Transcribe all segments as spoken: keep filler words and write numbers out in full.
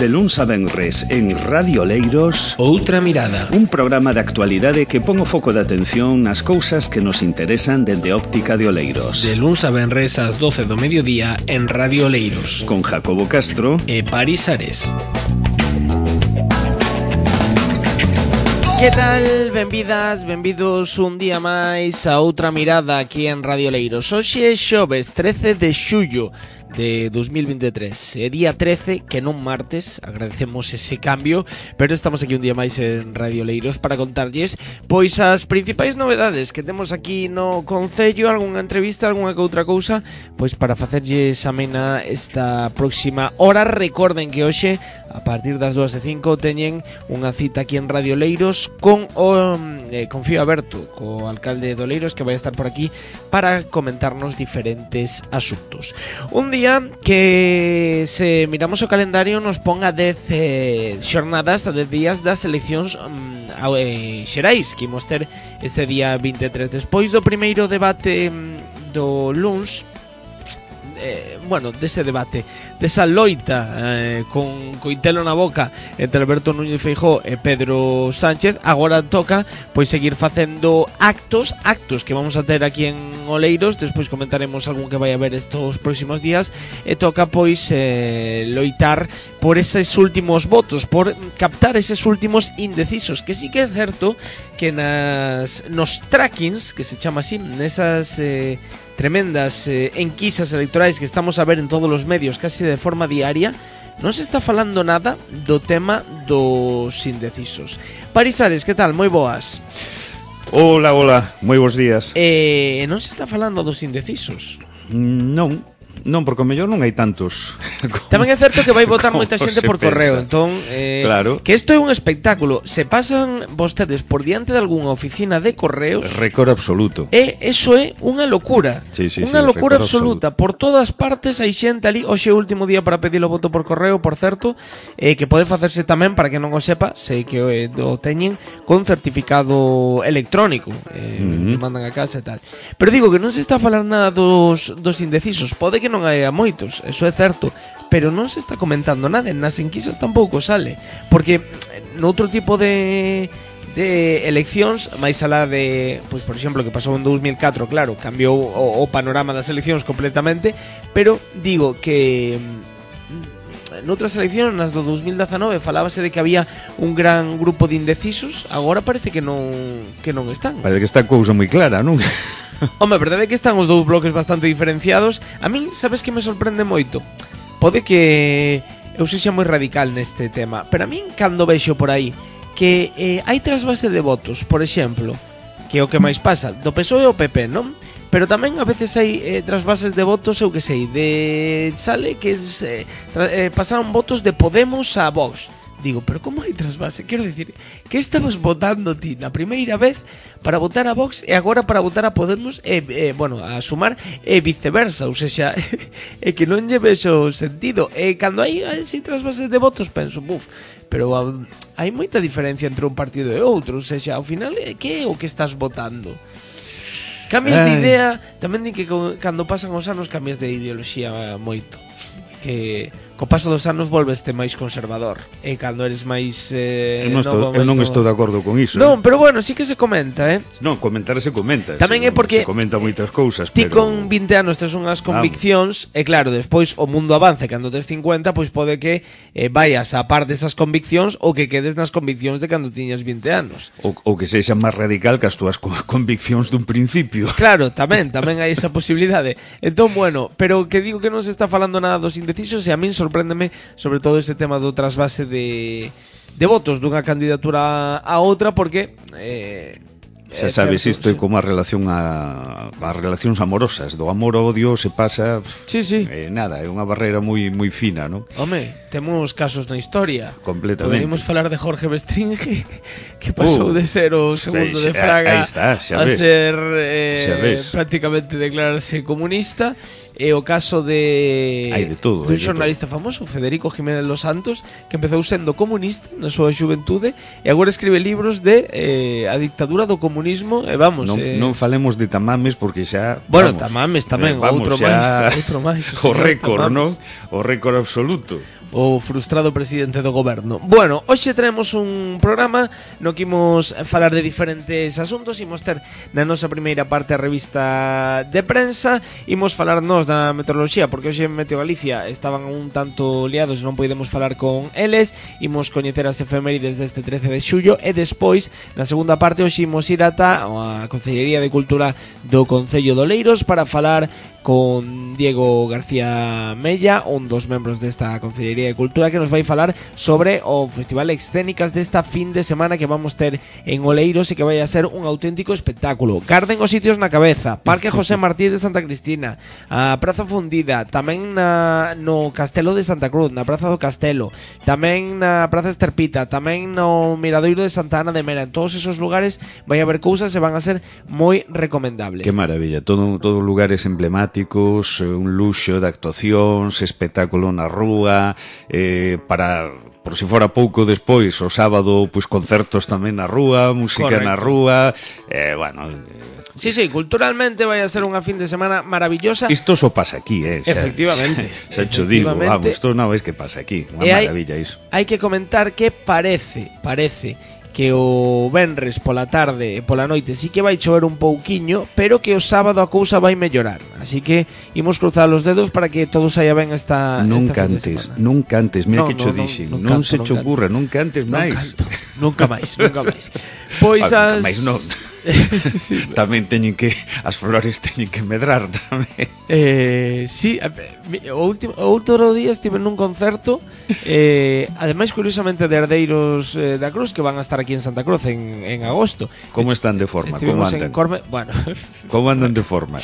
De luns a venres en Radio Oleiros, Outra Mirada, un programa de actualidade que pon o foco de atención nas cousas que nos interesan dende óptica de Oleiros. De luns a venres ás doce do mediodía en Radio Oleiros, Con Jacobo Castro e Paris Ares. Que tal? Benvidas, benvidos un día máis a Outra Mirada aquí en Radio Oleiros. Hoxe é xoves trece de xullo de dos mil veintitrés, é día trece, que non martes, agradecemos ese cambio, pero estamos aquí un día máis en Radio Oleiros para contarlles pois as principais novedades que temos aquí no concello, algunha entrevista, algunha que outra cousa, pois para facerlles amena esta próxima hora. Recorden que hoxe a partir das dúas e cinco teñen unha cita aquí en Radio Oleiros con o eh, Confío Aberto, co alcalde de Oleiros, que vai estar por aquí para comentarnos diferentes asuntos. Un día que, se miramos o calendario, nos pon a dez eh, xornadas, a dez días das eleccións um, eh, xerais que imos ter ese día veintitrés. Despois do primeiro debate um, do luns, Eh, bueno, dese debate, desa loita eh, con coitelo na boca entre Alberto Núñez Feijóo e Pedro Sánchez, agora toca pois seguir facendo actos, actos que vamos a ter aquí en Oleiros. Despois comentaremos algún que vai haber estos próximos días, e toca pois eh, loitar por eses últimos votos, por captar eses últimos indecisos, que sí que é certo que nas nos trackings, que se chama así, nesas eh, tremendas eh, enquisas electorais que estamos a ver en todos os medios casi de forma diaria, non se está falando nada do tema dos indecisos. Paris Ares, que tal? Moi boas. Hola, hola, moi bons días. Eh, non se está falando dos indecisos? Non, non, porque o mellor non hai tantos. Tamén é certo que vai votar moita xente por correo, entón eh, claro. Que isto é un espectáculo. Se pasan vostedes por diante de algunha oficina de correos, récord absoluto. E eso é unha locura. Sí, sí, unha sí, locura absoluta. absoluta. Por todas partes hai xente ali. Hoxe é o último día para pedir o voto por correo, por certo, eh, que pode facerse tamén, para que non o sepa, sei que eh, o teñen con certificado electrónico, eh, uh-huh. mandan a casa e tal. Pero digo que non se está a falar nada dos, dos indecisos. Pode que non hai a moitos, eso é certo, pero non se está comentando nada. Nas enquisas tampouco sale, porque noutro tipo de de eleccións, máis alá de, pois por exemplo, que pasou en dos mil catro, claro, cambiou o, o panorama das eleccións completamente, pero digo que noutras eleccións, nas do dos mil dezanove, falábase de que había un gran grupo de indecisos. Agora parece que non que non están. Parece que está a cousa moi clara, non? Home, a verdade é que están os dous bloques bastante diferenciados. A min, sabes que me sorprende moito? Pode que eu sexa moi radical neste tema, pero a min, cando vexo por aí que eh, hai trasvase de votos, por exemplo, que é o que máis pasa do P S O E ao P P, non? Pero tamén a veces hai eh, trasvases de votos, eu que sei, de sale que eh, tra- eh, pasaron votos de Podemos a Vox. Digo, pero como hai trasvase? Quero dicir, que estabas votando ti na primeira vez para votar a Vox e agora para votar a Podemos, e, e bueno, a Sumar, e viceversa, ou seja, é que non lle vexo sentido. E cando hai así trasvases de votos penso, buf, pero um, hai moita diferencia entre un partido e outro, ou seja, ao final, que é o que estás votando? Cambias de idea, tamén di que cando pasan os anos cambias de ideoloxía moito, que co paso dos anos volveste máis conservador, e cando eres máis eh, eu non estou, eu non estou de acordo con iso. Non, pero bueno, sí que se comenta, eh. Non, comentar se comenta. Tamén se, é porque se comenta moitas cousas, ti pero con vinte anos tes unhas conviccións, e claro, despois o mundo avance, cando tes cincuenta, pois pode que eh, vayas a par desas conviccións ou que quedes nas conviccións de cando tiñas vinte anos. Ou, ou que sexa máis radical que as túas conviccións dun principio. Claro, tamén, tamén hai esa posibilidade. Entón, bueno, pero que digo que non se está falando nada dos indecisos, e a min sorpréndeme sobre todo ese tema do trasvase de, de votos dunha candidatura a outra, porque eh, xa sabes, isto é como a relación a, as relacións amorosas, do amor ao odio se pasa, sí, sí. Eh, nada, é unha barreira moi moi fina, non? Home, temos casos na historia. Completamente. Poderíamos falar de Jorge Bestringe, que pasou uh, de ser o segundo xa, de Fraga está, a ser eh, prácticamente declararse comunista. e o caso de hai de todo, dun hai de xornalista todo. famoso, Federico Jiménez Los Santos, que empezou sendo comunista na súa xuventude e agora escribe libros de eh, a dictadura do comunismo e vamos, non, eh, non falemos de tamames porque xa bueno, vamos, tamames tamén, eh, vamos, outro xa, máis, outro máis, o récord, non? Tamames. O récord absoluto. O frustrado presidente do goberno. Bueno, hoxe traemos un programa no que imos falar de diferentes asuntos. Imos ter na nosa primeira parte a revista de prensa. Imos falarnos da meteoroloxía, porque hoxe en Meteo Galicia estaban un tanto liados e non podemos falar con eles. Imos coñecer as efemérides deste trece de xullo. E despois, na segunda parte, hoxe imos ir ata a Consellería de Cultura do Concello de Oleiros para falar con Diego García Mella, un dos membros desta Consellería de Cultura, que nos vai falar sobre o Festival Escénicas desta fin de semana que vamos ter en Oleiros e que vai a ser un auténtico espectáculo. Garden os sitios na cabeza, Parque José Martí de Santa Cristina, a Praza Fundida, tamén na, no Castelo de Santa Cruz, na Praza do Castelo, tamén na Praza Esterpita, tamén no Miradoiro de Santa Ana de Mera. En todos esos lugares vai haber cousas e van a ser moi recomendables. Que maravilla, todo, todo lugares emblemáticos, un luxo de actuacións, espectáculo na rúa, eh, para, por si fora pouco despois, o sábado, pois concertos tamén na rúa, música Correcto. na rúa, eh, bueno... Eh, Sí, sí, culturalmente vai a ser unha fin de semana maravillosa. Isto só pasa aquí, eh? Xa, Efectivamente. Xa cho digo, Efectivamente. vamos, isto non ves que pasa aquí, unha E hai- maravilla iso. Hai que comentar que parece, parece que o venres pola tarde e pola noite sí que vai chover un pouquiño, pero que o sábado a cousa vai mellorar. Así que imos cruzar os dedos para que todo saia ben esta, Nunca esta fin de antes, semana. nunca antes, mira No, que cho no, no, dixen, non non canto, se non che canto. ocurra, nunca antes Non máis. canto. Nunca máis, nunca máis. Pois Ah, as... máis non. Sí, Tamén teñen que, as flores teñen que medrar tamén. Eh, sí, a- mi- o último o outro día estive nun concerto, eh, ademais curiosamente de herdeiros eh, da Cruz que van a estar aquí en Santa Cruz en, en agosto. Como están de forma? Como Estivemos en andan? Corme, bueno, Como andan de forma?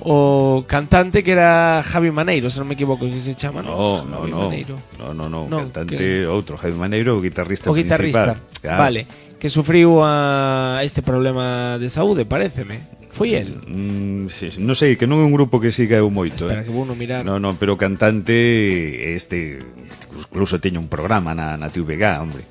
o cantante que era Javi Maneiro, se non me equivoco, que se chama, No, ¿no? no, Javi no. Maneiro. No, no, no, Non, cantante que- outro, Jaime Maneiro, o guitarrista O guitarrista, principal. Claro. vale, que sufriu a este problema de saúde, paréceme. Foi el. Mm, sí, sí, non sei, que non é un grupo que siga eu moito, Espera, eh. que vou no mirar. No, no, pero o cantante este incluso teña un programa na, na T V G, hombre.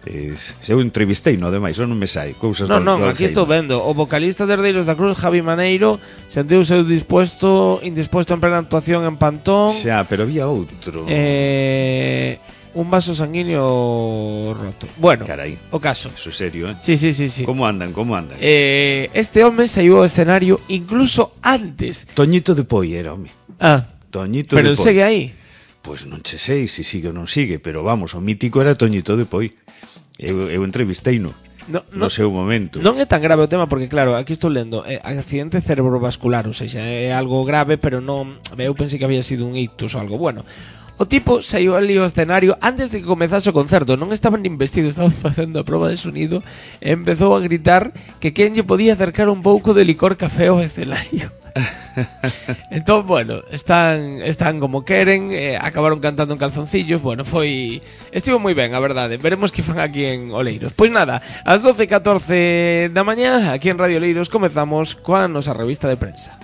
Es, se eu entrevistei, no demais, non me sai cousas Non, do- non, do aquí Alzheimer. estou vendo. O vocalista de Herdeiros da Cruz, Javi Maneiro, sentiuse dispuesto, indispuesto en plena actuación en Pantón. Xa, pero había outro. Eh, un vaso sanguíneo roto. Bueno, Carai, o caso. eso é serio, eh? Sí, sí, sí, sí. Como andan, como andan? Eh, este home saiu ao escenario incluso antes. Toñito de Poi era, home. Ah, Toñito pero de el Poi. segue aí. Pois non che sei se sigue ou non sigue, pero vamos, o mítico era Toñito de Poi. Eu, eu entrevistei-no No, no no, seu momento. non é tan grave o tema porque claro, aquí estou lendo eh, accidente cerebrovascular, ou seja, é algo grave, pero non, eu pensei que había sido un ictus ou algo. Bueno, o tipo saiu ali ao escenario antes de que comezase o concerto, non estaban nin vestidos, estaban facendo a proba de sonido e empezou a gritar que quen lle podía acercar un pouco de licor café ao escenario. Entón, bueno, están están como queren, eh, acabaron cantando en calzoncillos. Bueno, foi estivo moi ben, a verdade. Veremos que fan aquí en Oleiros. Pois nada, ás doce e catorce da mañá, aquí en Radio Oleiros comezamos coa nosa revista de prensa.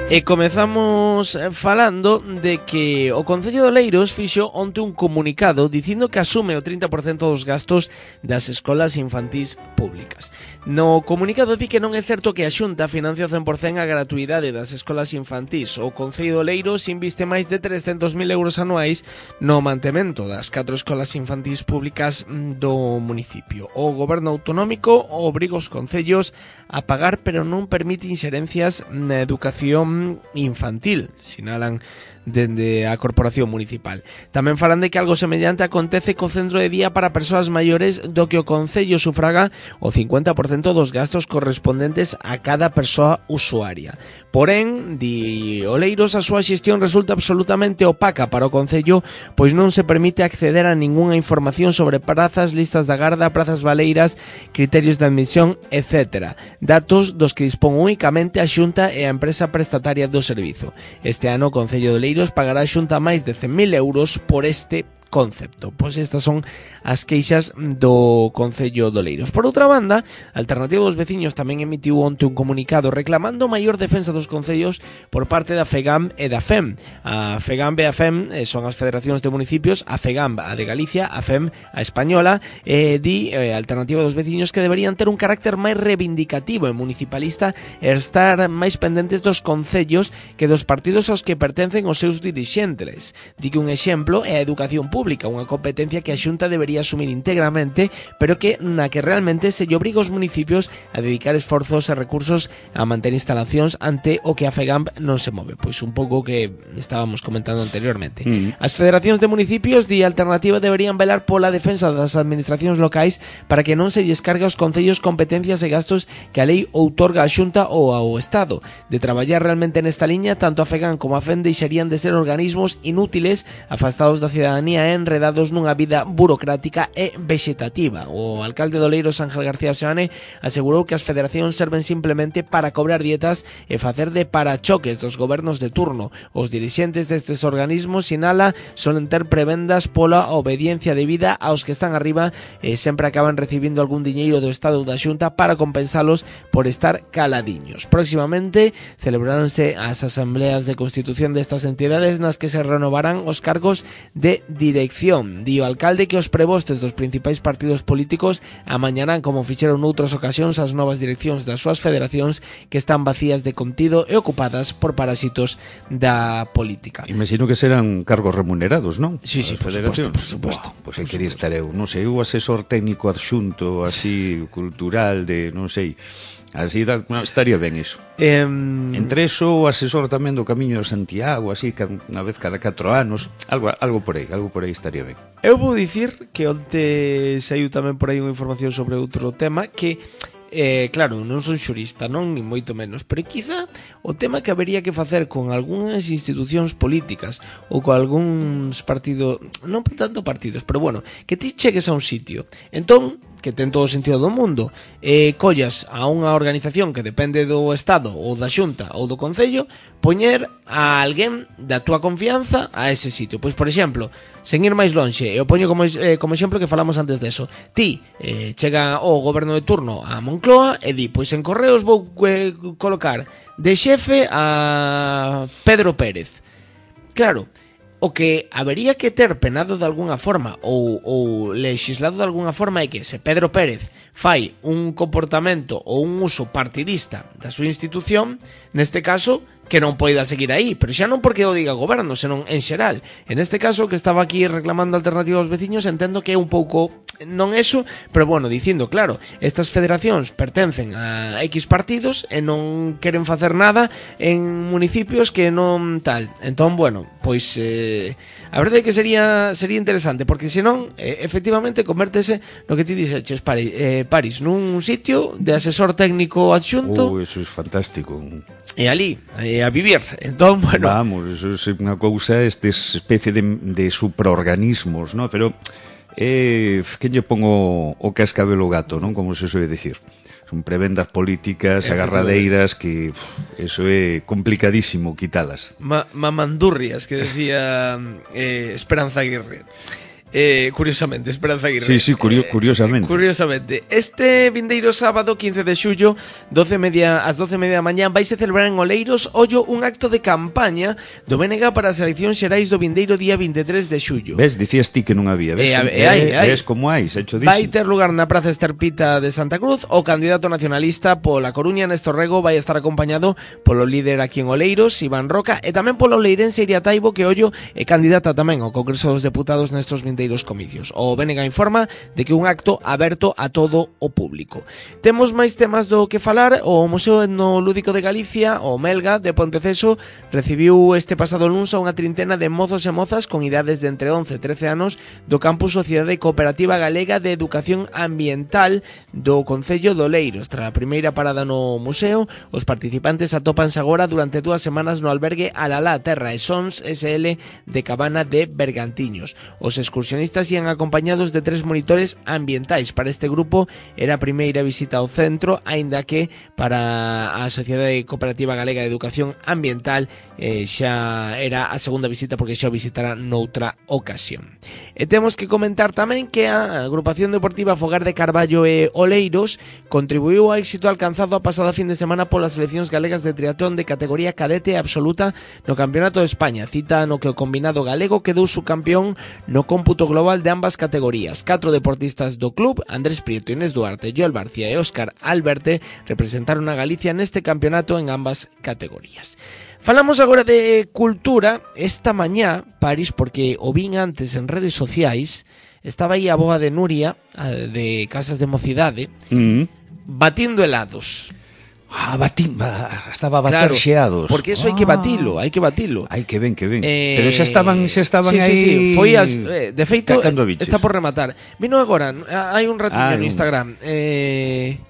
E comezamos falando de que o Concello de Oleiros fixo onte un comunicado dicindo que asume o trinta por cento dos gastos das escolas infantís públicas. No comunicado di que non é certo que a Xunta financia o cen por cento a gratuidade das escolas infantís. O Concello de Oleiros inviste máis de trescentos mil euros anuais no mantemento das catro escolas infantís públicas do municipio. O goberno autonómico obriga os concellos a pagar, pero non permite inxerencias na educación infantil, sinalan dende a Corporación Municipal. Tamén falan de que algo semellante acontece co centro de día para persoas maiores do que o Concello sufraga o cincuenta por cento dos gastos correspondentes a cada persoa usuaria. Porén, di Oleiros, a súa xestión resulta absolutamente opaca para o Concello, pois non se permite acceder a ningunha información sobre prazas, listas da garda, prazas baleiras, criterios de admisión, etcétera. Datos dos que dispón únicamente a Xunta e a empresa prestataria do servizo. Este ano o Concello de Oleiros Oleiros pagará a Xunta máis de cen mil euros por este concepto. Pois estas son as queixas do Concello de Oleiros. Por outra banda, a Alternativa dos Veciños tamén emitiu onte un comunicado reclamando maior defensa dos concellos por parte da FEGAMP e da FEM. A FEGAMP e a FEM son as federacións de municipios, a FEGAMP a de Galicia, a FEM a española, e di eh, a Alternativa dos Veciños que deberían ter un carácter máis reivindicativo e municipalista e estar máis pendentes dos concellos que dos partidos aos que pertencen os seus dirixentes. Di que un exemplo é a educación pública, unha competencia que a Xunta debería asumir íntegramente, pero que na que realmente se lle obriga aos municipios a dedicar esforzos e recursos a manter instalacións ante o que a FEGAMP non se move. Pois un pouco que estábamos comentando anteriormente. Mm. As federacións de municipios de Alternativa deberían velar pola defensa das administracións locais para que non se lles cargue aos concellos competencias e gastos que a lei outorga á Xunta ou ao Estado. De traballar realmente nesta liña, tanto a FEGAMP como a FEM deixarían de ser organismos inútiles, afastados da cidadanía e enredados nunha vida burocrática e vexetativa. O alcalde de Oleiros, Ángel García Seoane, asegurou que as federacións serven simplemente para cobrar dietas e facer de parachoques dos gobernos de turno. Os dirixentes destes organismos, sinala, solen ter prebendas pola obediencia debida aos que están arriba e sempre acaban recibindo algún diñeiro do Estado ou da Xunta para compensalos por estar caladiños. Próximamente celebraránse as asambleas de constitución destas entidades nas que se renovarán os cargos de dirección. Di o alcalde que os prebostes dos principais partidos políticos amañarán, como fixeron noutras ocasións, as novas direccións das súas federacións que están vacías de contido e ocupadas por parásitos da política. Imagino que serán cargos remunerados, non? Sí, sí, por suposto, por suposto. Wow, pois pues quería estar eu, non sei, eu asesor técnico adxunto, así, cultural, de, non sei... Así da, no, estaría ben iso. Eh, Entre eso, o asesor tamén do Camiño de Santiago, así, unha vez cada catro anos, algo, algo por aí, algo por aí estaría ben. Eu vou dicir que onte saiu tamén por aí unha información sobre outro tema que... Eh, claro, non son xurista, non, ni moito menos, pero quizá o tema que habería que facer con algunhas institucións políticas ou con algúns partidos, non por tanto partidos, pero bueno, que ti chegues a un sitio, entón, que ten todo o sentido do mundo, eh, collas a unha organización que depende do Estado ou da Xunta ou do Concello, poñer a alguén da túa confianza a ese sitio. Pois, por exemplo, sen ir máis lonxe, eu poño como, eh, como exemplo que falamos antes deso, ti eh, chega o goberno de turno a Moncloa e di, pois en Correos vou eh, colocar de xefe a Pedro Pérez. Claro, o que habería que ter penado de alguna forma ou, ou legislado de alguna forma é que se Pedro Pérez fai un comportamento ou un uso partidista da súa institución, neste caso que non poida seguir aí, pero xa non porque o diga o goberno, senón en xeral. En este caso, que estaba aquí reclamando Alternativa aos Veciños, entendo que é un pouco, non eso, pero bueno, dicindo, claro, estas federacións pertencen a X partidos e non queren facer nada en municipios que non tal. Entón, bueno, pois eh, a verdade é que sería sería interesante, porque senón, eh, efectivamente, convértese no que ti dixeches, Paris, eh, Paris, nun sitio de asesor técnico adxunto. Oh, eso é fantástico. E ali, eh, a vivir. Entón, bueno... Vamos, eso é unha cousa, esta especie de, de supraorganismos, ¿no? Pero, eh, que lle pongo o cascabel ao gato, non? Como se soe dicir. Son prebendas políticas, agarradeiras, que uf, eso é complicadísimo quitalas. Ma mamandurrias, que decía eh, Esperanza Aguirre. Eh, curiosamente, Esperanza Aguirre. Sí, sí, curio, curiosamente. Eh, curiosamente. Este vindeiro sábado, quince de xullo, doce media, ás doce e media da mañá, vaise celebrar en Oleiros, ollo, un acto de campaña do B N G para as eleccións xerais do vindeiro día vinte e tres de xullo. Ves, dicías ti que non había. Ves, eh, como, eh, hai, eh, hai. ves como hai, xecho dixo. Vai ter lugar na Praza Esterpita de Santa Cruz. O candidato nacionalista pola Coruña, Néstor Rego, vai estar acompañado polo líder aquí en Oleiros, Iván Roca, e tamén polo leirense Iria Taibo, que ollo é candidata tamén ao Congreso dos Deputados nestos vindeiros comicios. O B N G informa de que un acto aberto a todo o público. Temos máis temas do que falar. O Museo Etnolúdico de Galicia, o Melga, de Ponteceso, recibiu este pasado luns a unha trintena de mozos e mozas con idades de entre once e trece anos do campus Sociedade Cooperativa Galega de Educación Ambiental do Concello de Oleiros. Tras a primeira parada no museo, os participantes atópanse agora durante dúas semanas no albergue Alalá Terra e Sons S L de Cabana de Bergantiños. Os excursionistas excursionistas ian acompañados de tres monitores ambientais. Para este grupo era a primeira visita ao centro, aínda que para a Sociedade Cooperativa Galega de Educación Ambiental eh, xa era a segunda visita porque xa o visitara noutra ocasión. E temos que comentar tamén que a agrupación deportiva Fogar de Carballo e Oleiros contribuiu ao éxito alcanzado a pasada fin de semana polas seleccións galegas de triatlón de categoría cadete absoluta no Campeonato de España, cita no que o combinado galego quedou subcampeón no cómputo global de ambas categorías. Catro deportistas do club, Andrés Prieto, Inés Duarte, Joel Barcia e Óscar Alberte, representaron a Galicia neste campeonato en ambas categorías. Falamos agora de cultura. Esta mañá, París, porque o vin antes en redes sociais, estaba aí a boa de Nuria, de Casas de Mocidade, mm. batindo helados. Ah, batín, estaba a bater claro, xeados. Porque eso ah. hai que batilo, hai que batilo. Ai, que ben, que ben. Eh, Pero xa estaban, xa estaban sí, aí. Sí, sí, foi as, eh, de feito, está por rematar. Vino agora, hai un ratiño ah, no Instagram. Eh...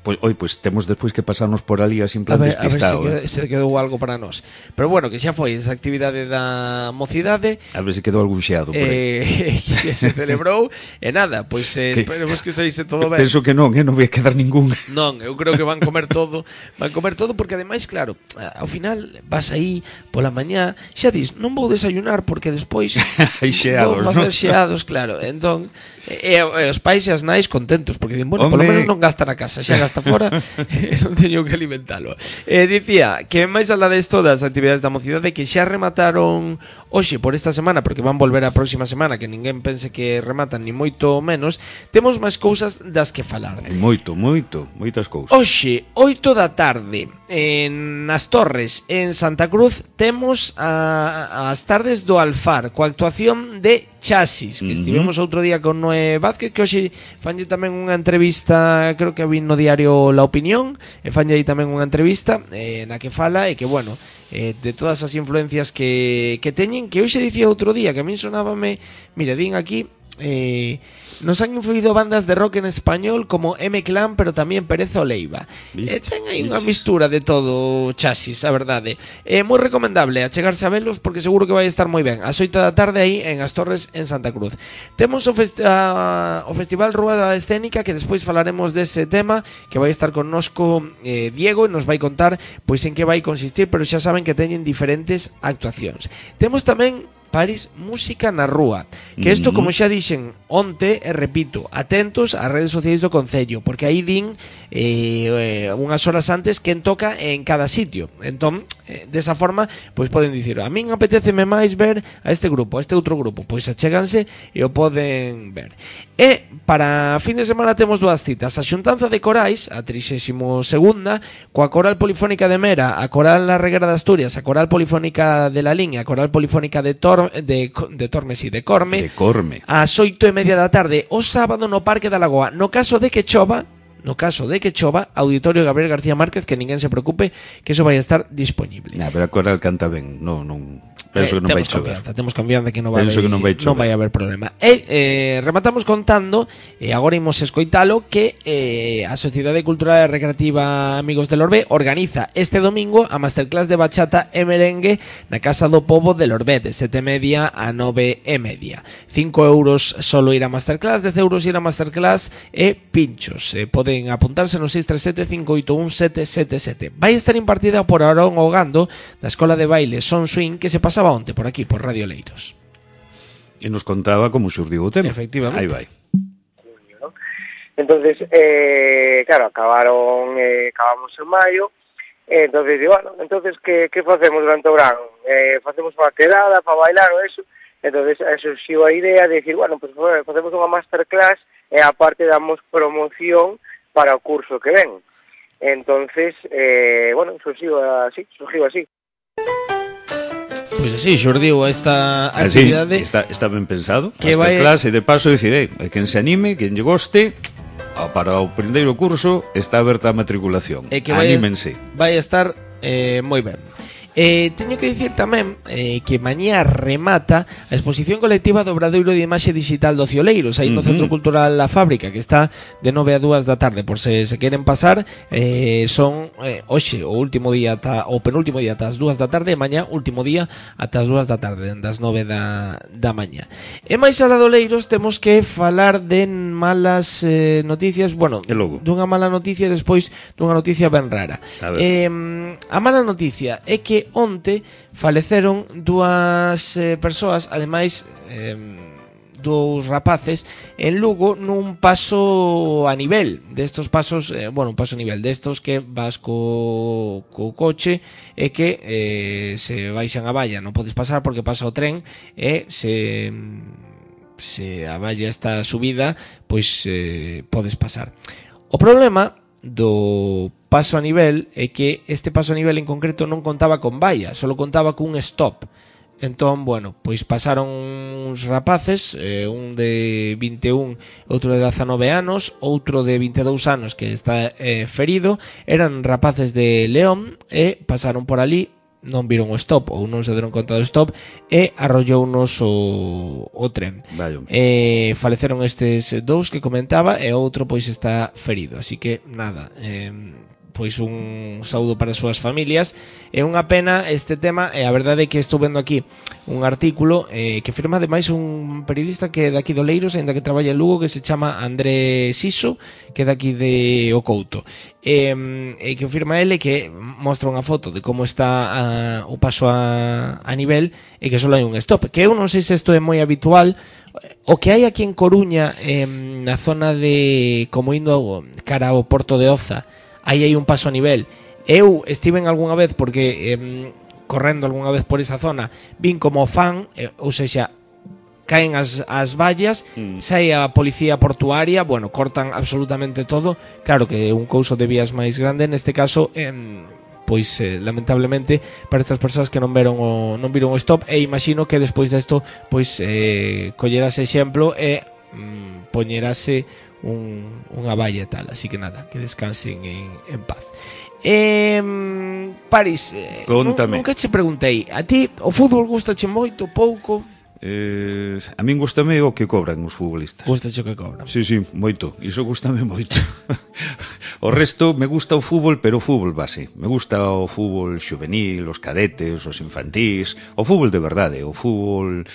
Pois, oi, pois temos despois que pasarnos por ali así en plan despistado. A ver se, eh. quedou, se quedou algo para nós. Pero bueno, que xa foi esa actividade da mocidade. A ver se quedou algún xeado por aí. Eh, que se celebrou. E nada, pois eh, que, esperemos que saíse todo ben. Penso que non, eh, non vai quedar ningún. Non, eu creo que van comer todo. Van comer todo porque ademais, claro, ao final vas aí pola mañá, xa dis, non vou desayunar porque despois hai xeados, vou facer ¿no? xeados, claro. Entón, e, e os pais e as nais contentos porque din, bueno, Hombre. polo menos non gasta na casa, xa gasta fora, non teño que alimentalo. Eh, dicía que máis alá desto das actividades da mocidade que xa remataron hoxe por esta semana, porque van volver a próxima semana, que ninguén pense que rematan ni moito menos, temos máis cousas das que falar. Hai moito, moito, moitas cousas. Hoxe, oito da tarde, en As Torres, en Santa Cruz, temos a, as tardes do Alfar, coa actuación de Chasis, que uh-huh. estivemos outro día con Noé Vázquez, que hoxe fanlle tamén unha entrevista, creo que vin no diario La Opinión, e fanlle aí tamén unha entrevista eh, na que fala, e que, bueno, eh, de todas as influencias que, que teñen, que hoxe dicía outro día, que a min sonábame, mira, din aquí, eh... nos han influido bandas de rock en español como M-Clan, pero tamén Pérez Oleiva. Eh, ten aí unha mistura de todo Chasis, a verdade. É eh, moi recomendable achegarse a velos porque seguro que vai estar moi ben. As oito da tarde aí en As Torres, en Santa Cruz. Temos o, fest a, o Festival Rúa Escénica, que despois falaremos dese tema, que vai estar connosco eh, Diego e nos vai contar pois en que vai consistir, pero xa saben que teñen diferentes actuacións. Temos tamén París, música na rúa. Que isto, como xa dixen onte, e repito, atentos ás redes sociais do Concello, porque aí din eh, unhas horas antes quen toca en cada sitio. Entón, eh, desa forma, pois poden dicir, a min apetéceme máis ver a este grupo, a este outro grupo, pois achéganse e o poden ver. E para fin de semana temos dúas citas: a xuntanza de corais, a trixésima segunda, coa Coral Polifónica de Mera, a Coral La Reguera de Asturias, a Coral Polifónica de La Liña, a Coral Polifónica de Tor de, de Tormes e de Corme, de Corme, ás oito e media da tarde o sábado no Parque da Lagoa. No caso de que chova, no caso de que chova, Auditorio Gabriel García Márquez, que ninguén se preocupe, que eso vai estar disponible. Nah, pero a Coral canta ben, non, non. Penso eh, que non vai chover. Confianza, temos confianza que non vai, que non vai, non vai haber problema. E eh, rematamos contando, e eh, agora imos escoitalo, que eh, a Sociedade Cultural e Recreativa Amigos del Orbe organiza este domingo a Masterclass de Bachata e Merengue na Casa do Pobo del Orbe, de sete e media a nove e media. cinco euros solo ir a Masterclass, dez euros ir a Masterclass e pinchos. Eh, poden apuntarse no seis tres sete, cinco oito un, sete sete sete. Vai estar impartida por Aarón Ogando, da Escola de Baile Son Swing, que se pasaba onte por aquí, por Radio Leiros. E nos contaba como xurdiu o tema. Efectivamente. Aí vai. Entonces, eh, claro, acabaron, eh, acabamos en maio, eh, entonces, bueno, entonces, que, que facemos durante o verano? Eh, facemos unha quedada para bailar ou eso? Entonces, surxiu a idea de decir, bueno, pues facemos unha masterclass e aparte damos promoción para o curso que ven. Entonces, eh, bueno, surxiu así, surxiu así. Pois pues así, xurdiu esta actividade. Así, está, está ben pensado. Que vai... clase de paso dicir, eh, quen se anime, quen lle goste, para o primeiro curso está aberta a matriculación. E que vai, Anímense. Vai estar eh, moi ben. Eh, teño que dicir tamén eh, que mañá remata a exposición colectiva do Obradoiro de Imaxe Digital do Cioleiros, aí no Uh-huh. Centro Cultural La Fábrica, que está de nove a dúas da tarde. Por se se queren pasar, eh, son eh, hoxe o último día ata, o penúltimo día ata as dúas da tarde, e mañá último día ata as dúas da tarde, das nove da, da mañá. E máis alá do Leiros temos que falar de malas eh, noticias, bueno, E logo? dunha mala noticia e despois dunha noticia ben rara. A ver. Eh, a mala noticia é que onte faleceron dúas eh, persoas, ademais eh, dous rapaces en Lugo nun paso a nivel destos pasos, eh, bueno, un paso a nivel destos que vas co, co coche e que eh, se baixan a valla, non podes pasar porque pasa o tren e se se a valla está subida, pois eh, podes pasar. O problema do paso a nivel é que este paso a nivel en concreto non contaba con valla, só contaba cun stop. Entón, bueno, pois pasaron uns rapaces, eh, un de vinte e un, outro de dezanove anos, outro de vinte e dous anos que está eh, ferido. Eran rapaces de León e pasaron por ali, non viron o stop ou non se deron conta do stop e arrollounos o, o tren. Vaya. Eh, faleceron estes dous que comentaba e outro pois está ferido, así que nada, eh, pois un saúdo para as súas familias. É unha pena este tema, e a verdade é que estou vendo aquí un artículo eh, que firma ademais un periodista que é daqui do Leiros, ainda que traballa en Lugo, que se chama André Siso, que é daqui de O Couto, e eh, que firma ele, que mostra unha foto de como está a, o paso a, a nivel, e que só hai un stop, que eu non sei se isto é moi habitual. O que hai aquí en Coruña, eh, na zona de como indo cara ao Porto de Oza, aí hai un paso a nivel. Eu estiven algunha vez porque eh, correndo algunha vez por esa zona, vin como fan, eh, ou sexa, caen as, as vallas, mm. sai a policía portuaria, bueno, cortan absolutamente todo. Claro que é un couso de vías máis grande, neste caso, eh, pois eh, lamentablemente para estas persoas que non veron o, non viron o stop, e imagino que despois desto pois eh, collerase exemplo e mm, poñerase un, unha valla e tal, así que nada, que descansen en, en paz. Eh, Paris, eh, Contame. Nunca che preguntei, a ti o fútbol gustache moito, pouco? Eh, a min gustame o que cobran os futbolistas. Gustache o que cobran? Sí, sí, moito. Iso gustame moito. O resto me gusta o fútbol, pero o fútbol base. Me gusta o fútbol xuvenil, os cadetes, os infantís, o fútbol de verdade, o fútbol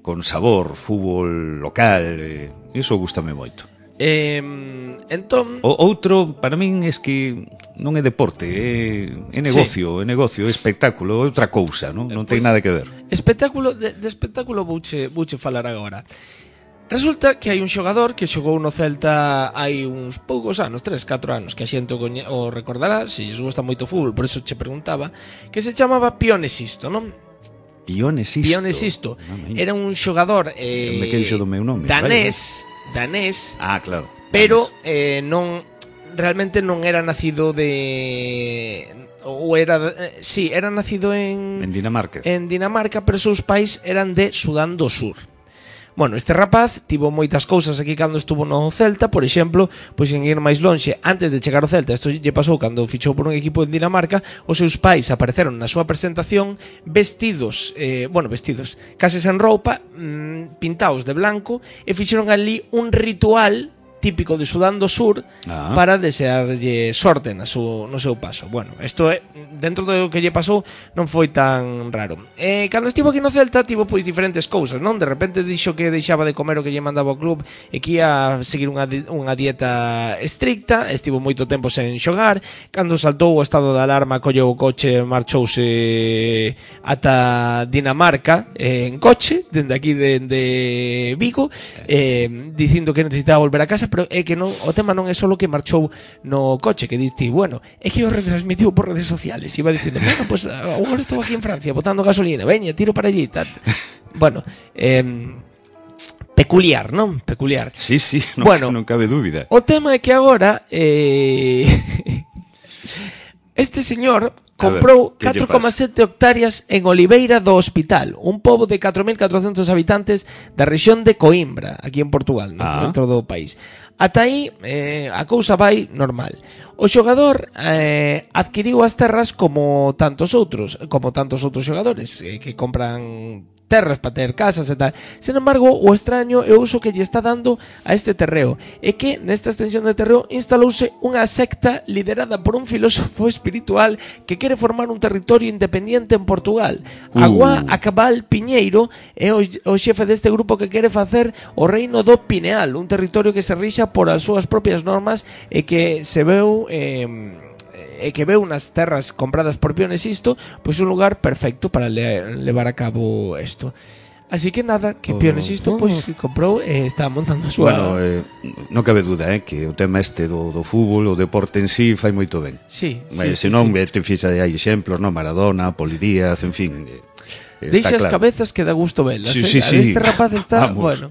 con sabor, fútbol local, eh, iso gustame moito. Eh, entón, o outro para min é que non é deporte, é, é negocio, sí. é negocio, é espectáculo, é outra cousa, non, non pues, ten nada que ver. Espectáculo, de, de espectáculo vouche, vouche falar agora. Resulta que hai un xogador que xogou no Celta hai uns poucos anos, tres, catro anos, que a xente o, coñe, o recordará, se lles gusta moito o fútbol, por eso che preguntaba, que se chamaba Pione Sisto, non? Pione Sisto. Pione Sisto. No, era un xogador eh, me queixo do meu nome, danés, vale. danés. Ah, claro. Pero eh, non realmente non era nacido de ou era eh, sí, era nacido en en Dinamarca. En Dinamarca, pero seus pais eran de Sudán do Sur. Bueno, este rapaz tivo moitas cousas aquí cando estuvo no Celta, por exemplo, pois en ir máis lonxe, antes de chegar ao Celta, isto lle pasou cando fichou por un equipo en Dinamarca, os seus pais apareceron na súa presentación vestidos, eh, bueno, vestidos, case sen roupa, mmm, pintados de blanco, e fixeron ali un ritual típico de Sudán do Sur ah. para desearlle sorte na su, no seu paso. Bueno, isto é, dentro do que lle pasou non foi tan raro. Eh, cando estivo aquí no Celta tivo pois diferentes cousas, non? De repente dixo que deixaba de comer o que lle mandaba o club e que ia seguir unha, unha dieta estricta, estivo moito tempo sen xogar. Cando saltou o estado de alarma, colleu o coche, marchouse ata Dinamarca eh, en coche, dende aquí dende Vigo, eh, dicindo que necesitaba volver a casa, pero é que non, o tema non é só que marchou no coche, que diste, bueno, é que o retransmitiu por redes sociales, iba dicindo, bueno, pues agora estou aquí en Francia botando gasolina, veña, tiro para allí, tal. Bueno, eh, peculiar, non? Peculiar. Sí, sí, non, bueno, non cabe dúbida. O tema é que agora eh, este señor comprou catro coma sete hectáreas en Oliveira do Hospital, un pobo de catro mil catrocentos habitantes da rexión de Coimbra, aquí en Portugal, no ah. centro do país. Ata aí eh, a cousa vai normal. O xogador eh, adquiriu as terras como tantos outros, como tantos outros xogadores eh, que compran terras para ter casas e tal. Sin embargo, o extraño é o uso que lle está dando a este terreo é que nesta extensión de terreo instalouse unha secta liderada por un filósofo espiritual que quere formar un territorio independiente en Portugal. uh. Agua Acabal Piñeiro é o, o xefe deste grupo que quere facer o reino do Pineal, un territorio que se rixa por as súas propias normas e que se veu eh, e que veu nas terras compradas por Pione Sisto, pois un lugar perfecto para le, levar a cabo isto. Así que nada, que oh, Pione Sisto pois oh. comprou e está montando a súa... Bueno, eh, non cabe duda, eh, que o tema este do, do fútbol, o deporte en sí fai moito ben. Sí, Mas, sí, se non, sí. te fixa de hai exemplos, no? Maradona, Poli Díaz, en fin... Eh, Deixa as claro. cabezas que dá gusto velas, sí, eh? sí, sí. Este rapaz está, Vamos. bueno...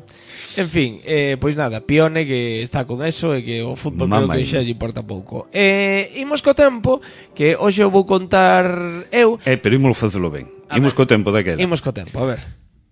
En fin, eh, pois nada, Pione que está con eso e que o fútbol creo que xa lle importa pouco. Eh, imos co tempo, que hoxe eu vou contar eu... Eh, pero imos facelo ben. A imos ver, co tempo daquela. Imos co tempo, a ver.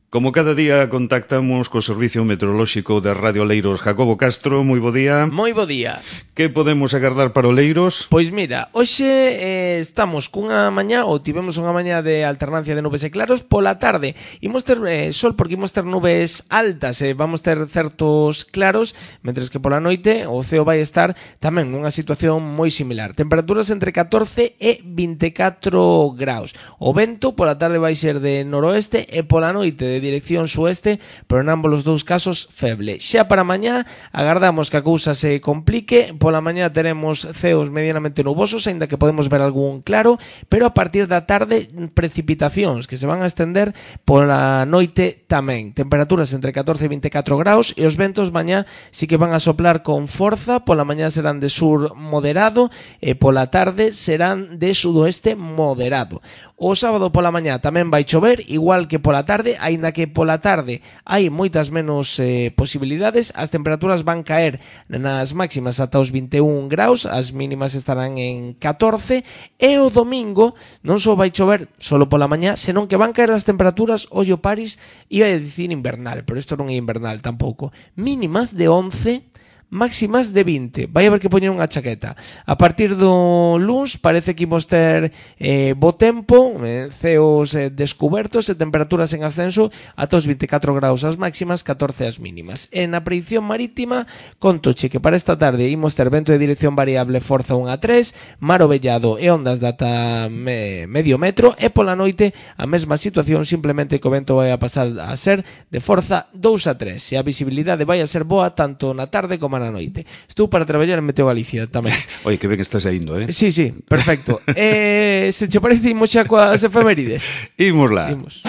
Como cada día contactamos co Servicio Meteorolóxico de Radio Leiros Jacobo Castro, moi bo día. Moi bo día. Que podemos agardar para o Leiros? Pois mira, hoxe eh, estamos cunha mañá, ou tivemos unha mañá de alternancia de nubes e claros. Pola tarde imos ter eh, sol porque imos ter nubes altas e eh, vamos ter certos claros, mentres que pola noite o ceo vai estar tamén nunha situación moi similar. Temperaturas entre catorce e vinte e catro graus. O vento pola tarde vai ser de noroeste e pola noite de dirección sueste, pero en ambos os dous casos feble. Xa para mañá agardamos que a cousa se complique. Pola mañá teremos ceos medianamente nubosos, aínda que podemos ver algún claro, pero a partir da tarde precipitacións que se van a estender pola noite tamén. Temperaturas entre catorce e vinte e catro graus e os ventos mañá sí que van a soplar con forza. Pola mañá serán de sur moderado e pola tarde serán de sudoeste moderado. O sábado pola mañá tamén vai chover, igual que pola tarde, aínda que pola tarde hai moitas menos eh, posibilidades. As temperaturas van caer nas máximas ata os vinte e un graus, as mínimas estarán en catorce, e o domingo non só vai chover solo pola mañá, senón que van caer as temperaturas, ollo Paris, iba a dicir invernal, pero isto non é invernal tampouco, mínimas de once, máximas de vinte. Vai haber que poñer unha chaqueta. A partir do luns parece que imos ter eh, bo tempo, eh, ceos eh, descubertos e temperaturas en ascenso ata os vinte e catro graus as máximas, catorce as mínimas. E na predicción marítima, contoche que para esta tarde imos ter vento de dirección variable forza un a tres, mar ovellado e ondas de ata me, medio metro, e pola noite a mesma situación, simplemente que o vento vai a pasar a ser de forza dous a tres. E a visibilidade vai a ser boa tanto na tarde como na noite. Estou para traballar en Meteo Galicia tamén. Oi, que ben estás indo, eh? Sí, sí, perfecto. eh, se che parece, imos xa coas efemérides. Imos lá. Imos.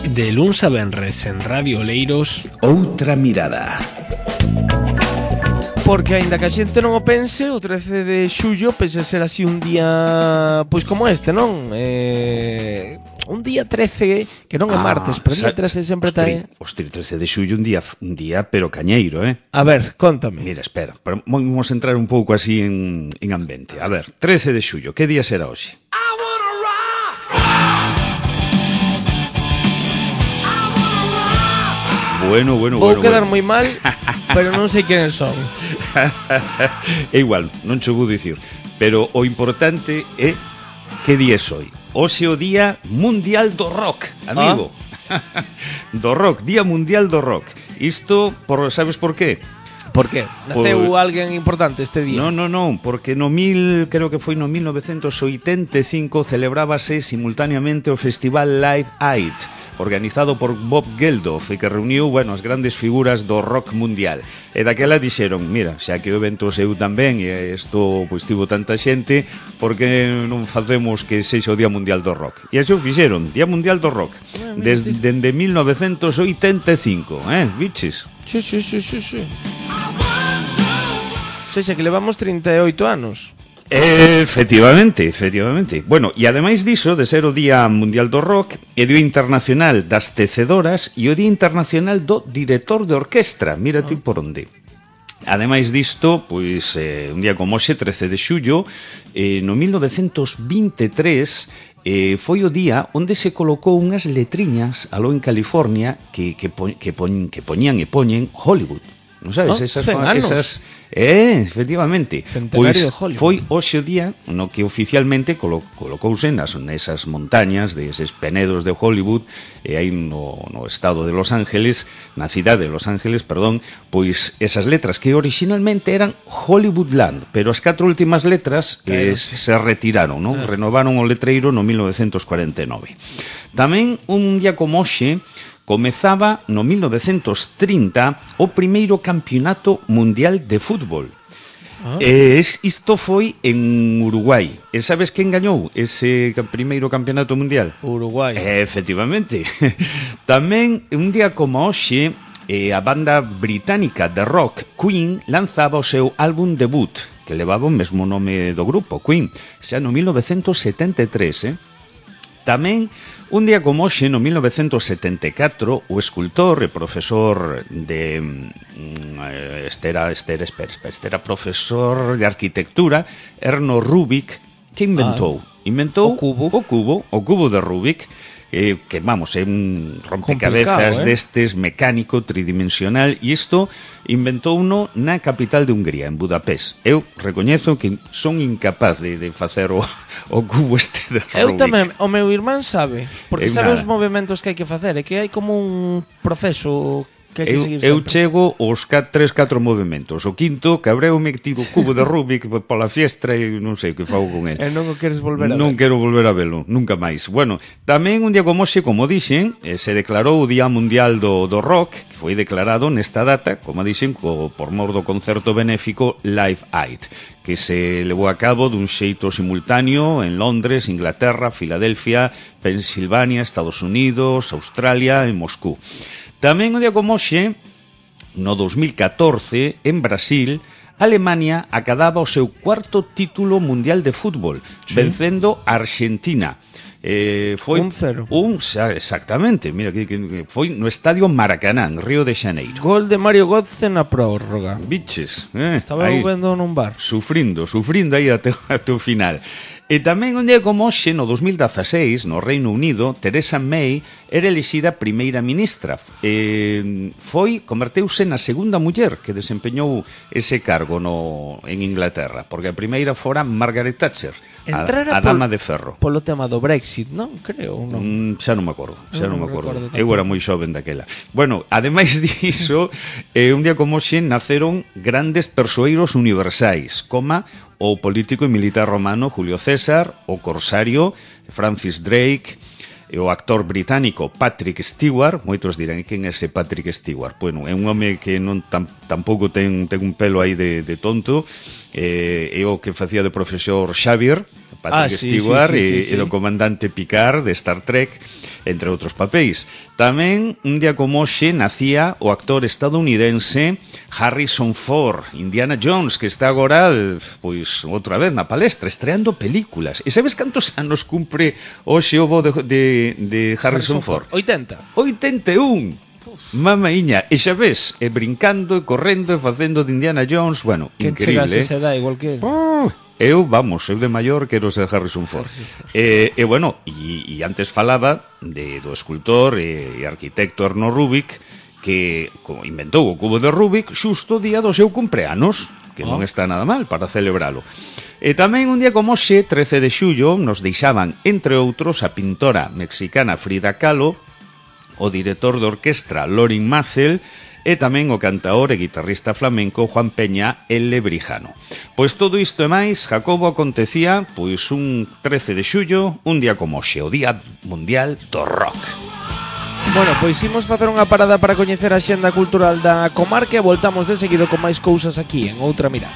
De luns a venres en Radio Leiros, Outra mirada. Porque aínda que a xente non o pense, o trece de xullo pese ser así un día pois como este, non? Eh, un día trece que non é martes, ah, pero día trece sempre está aí. Ostri, trece de xullo un día un día pero cañeiro, eh? A ver, contame. Mira, espera, pero vamos a entrar un pouco así en, en ambiente. A ver, trece de xullo, que día será hoxe? Bueno, bueno, Vou bueno. quedar bueno. moi mal, pero non sei quen son. É igual, non che vou dicir. Pero o importante é que día é hoxe. Hoxe é o Día Mundial do Rock, amigo. Ah? Do rock, Día Mundial do Rock. Isto, por, sabes por qué? Por qué? Naceu por... alguén importante este día? Non, non, non, porque no mil, creo que foi no mil novecentos oitenta e cinco celebrábase simultaneamente o Festival Live Aid, organizado por Bob Geldof, e que reuniu, bueno, as grandes figuras do rock mundial. E daquela dixeron, mira, xa que o evento seu tamén e isto pois tivo tanta xente, por que non facemos que sexa o Día Mundial do Rock? E axo fixeron, Día Mundial do Rock, desde de mil novecentos oitenta e cinco, eh, biches? Sí, sí, sí, sí, sí. O sea, que levamos trinta e oito anos. Efectivamente, efectivamente. Bueno, e ademais diso, de ser o Día Mundial do Rock, é o Día Internacional das Tecedoras e o Día Internacional do Director de Orquestra. Mira ti por onde. ademais disto, pois eh, un día como hoxe, trece de xullo, eh, no mil novecentos vinte e tres, eh, foi o día onde se colocou unhas letriñas aló en California que, que, po, que, poñ, que poñían e poñen Hollywood. Non sabes? Oh, esas, cenanos. esas Eh, efectivamente. Centenario Pois de Hollywood. foi hoxe o día no que oficialmente colo, colocouse nas, nesas montañas deses penedos de Hollywood, e aí no, no estado de Los Ángeles, na cidade de Los Ángeles, perdón, pois esas letras que originalmente eran Hollywoodland, pero as catro últimas letras eh, se retiraron, non? Ah. Renovaron o letreiro no mil novecentos cuarenta e nove. Tamén un día como hoxe comezaba no mil novecentos trinta o primeiro campeonato mundial de fútbol. Ah. E isto foi en Uruguai. E sabes quen gañou ese primeiro campeonato mundial? Uruguai. Eh, efectivamente. Tamén, un día como hoxe, eh, a banda británica de rock Queen lanzaba o seu álbum debut, que levaba o mesmo nome do grupo, Queen, xa no mil novecentos setenta e tres, eh? Tamén, un día como hoxe, no mil novecentos setenta e catro, o escultor e profesor de... Mm, este, era, este, era, espera, espera, este era profesor de arquitectura, Erno Rubik, que inventou? Ah, inventou o cubo. O cubo, o cubo de Rubik, eh, que, vamos, é un rompecabezas eh? destes, mecánico, tridimensional, e isto inventou uno na capital de Hungría, en Budapest. Eu recoñezo que son incapaz de, de facer o, o cubo este de Rubik. Eu tamén, o meu irmán sabe, porque Eu sabe nada. os movimentos que hai que facer, é que hai como un proceso que hai que Eu, seguir eu sempre. chego aos tres, catro movimentos. O quinto, cabreume que tiro o cubo de Rubik pola fiestra e non sei o que fago con ele. E non o queres volver a ver. Non quero volver a velo, nunca máis. Bueno, tamén un día como hoxe, como dixen, eh, se declarou o Día Mundial do, do Rock, que foi declarado nesta data, como dixen, co, por mor do concerto benéfico Live Aid, que se levou a cabo dun xeito simultáneo en Londres, Inglaterra, Filadelfia, Pensilvania, Estados Unidos, Australia e Moscú. Tamén un día como hoxe, no dos mil catorce, en Brasil, Alemania acadaba o seu cuarto título mundial de fútbol, sí, vencendo a Argentina. Eh, foi un cero. Un, exactamente, mira, que, que foi no estadio Maracaná, en Río de Xaneiro. Gol de Mario Götze na prórroga. Biches, eh, Estaba aí, vendo nun bar. Sufrindo, sufrindo aí até, até o final. E tamén un día como hoxe, no dos mil dezaseis, no Reino Unido, Theresa May era elixida primeira ministra. E foi, converteuse na segunda muller que desempeñou ese cargo no, en Inglaterra, porque a primeira fora Margaret Thatcher, a, a dama de ferro. Polo tema do Brexit, non? Creo, non? Mm, xa non me acordo, xa non, non me acordo. acordo Eu era moi xoven daquela. Bueno, ademais diso, eh, un día como hoxe naceron grandes persoeiros universais, coma o político e militar romano Julio César, o corsario Francis Drake, e o actor británico Patrick Stewart. Moitos dirán, quen é ese Patrick Stewart? Bueno, é un home que non tam, tampouco ten, ten un pelo aí de, de tonto, eh, é o que facía de profesor Xavier, Patrick ah, sí, Stewart, sí, sí, e, sí, sí. e do comandante Picard de Star Trek, entre outros papéis. Tamén, un día como hoxe, nacía o actor estadounidense Harrison Ford, Indiana Jones, que está agora, pois, outra vez na palestra, estreando películas. E sabes cantos anos cumpre hoxe o bo de, de, de Harrison, Harrison Ford? oitenta. oitenta e un. Mamaíña, e xa ves, e brincando, e correndo, e facendo de Indiana Jones, bueno, que increíble. Que chegase esa edad igual que... Oh, eu, vamos, eu de maior quero ser Harrison Ford. E, e bueno, e, e antes falaba de, do escultor e, e arquitecto Erno Rubik, que inventou o cubo de Rubik xusto o día do seu cumpleanos, que oh. non está nada mal para celebralo. E tamén un día como hoxe, trece de xullo, nos deixaban, entre outros, a pintora mexicana Frida Kahlo, o director de orquestra Lorin Maazel, e tamén o cantaor e guitarrista flamenco Juan Peña El Lebrijano. Pois todo isto e máis, Jacobo, acontecía pois un trece de xullo, un día como hoxe, o Día Mundial do Rock. Bueno, pois imos facer unha parada para coñecer a xenda cultural da comarca e voltamos de seguido con máis cousas aquí en Outra Mirada.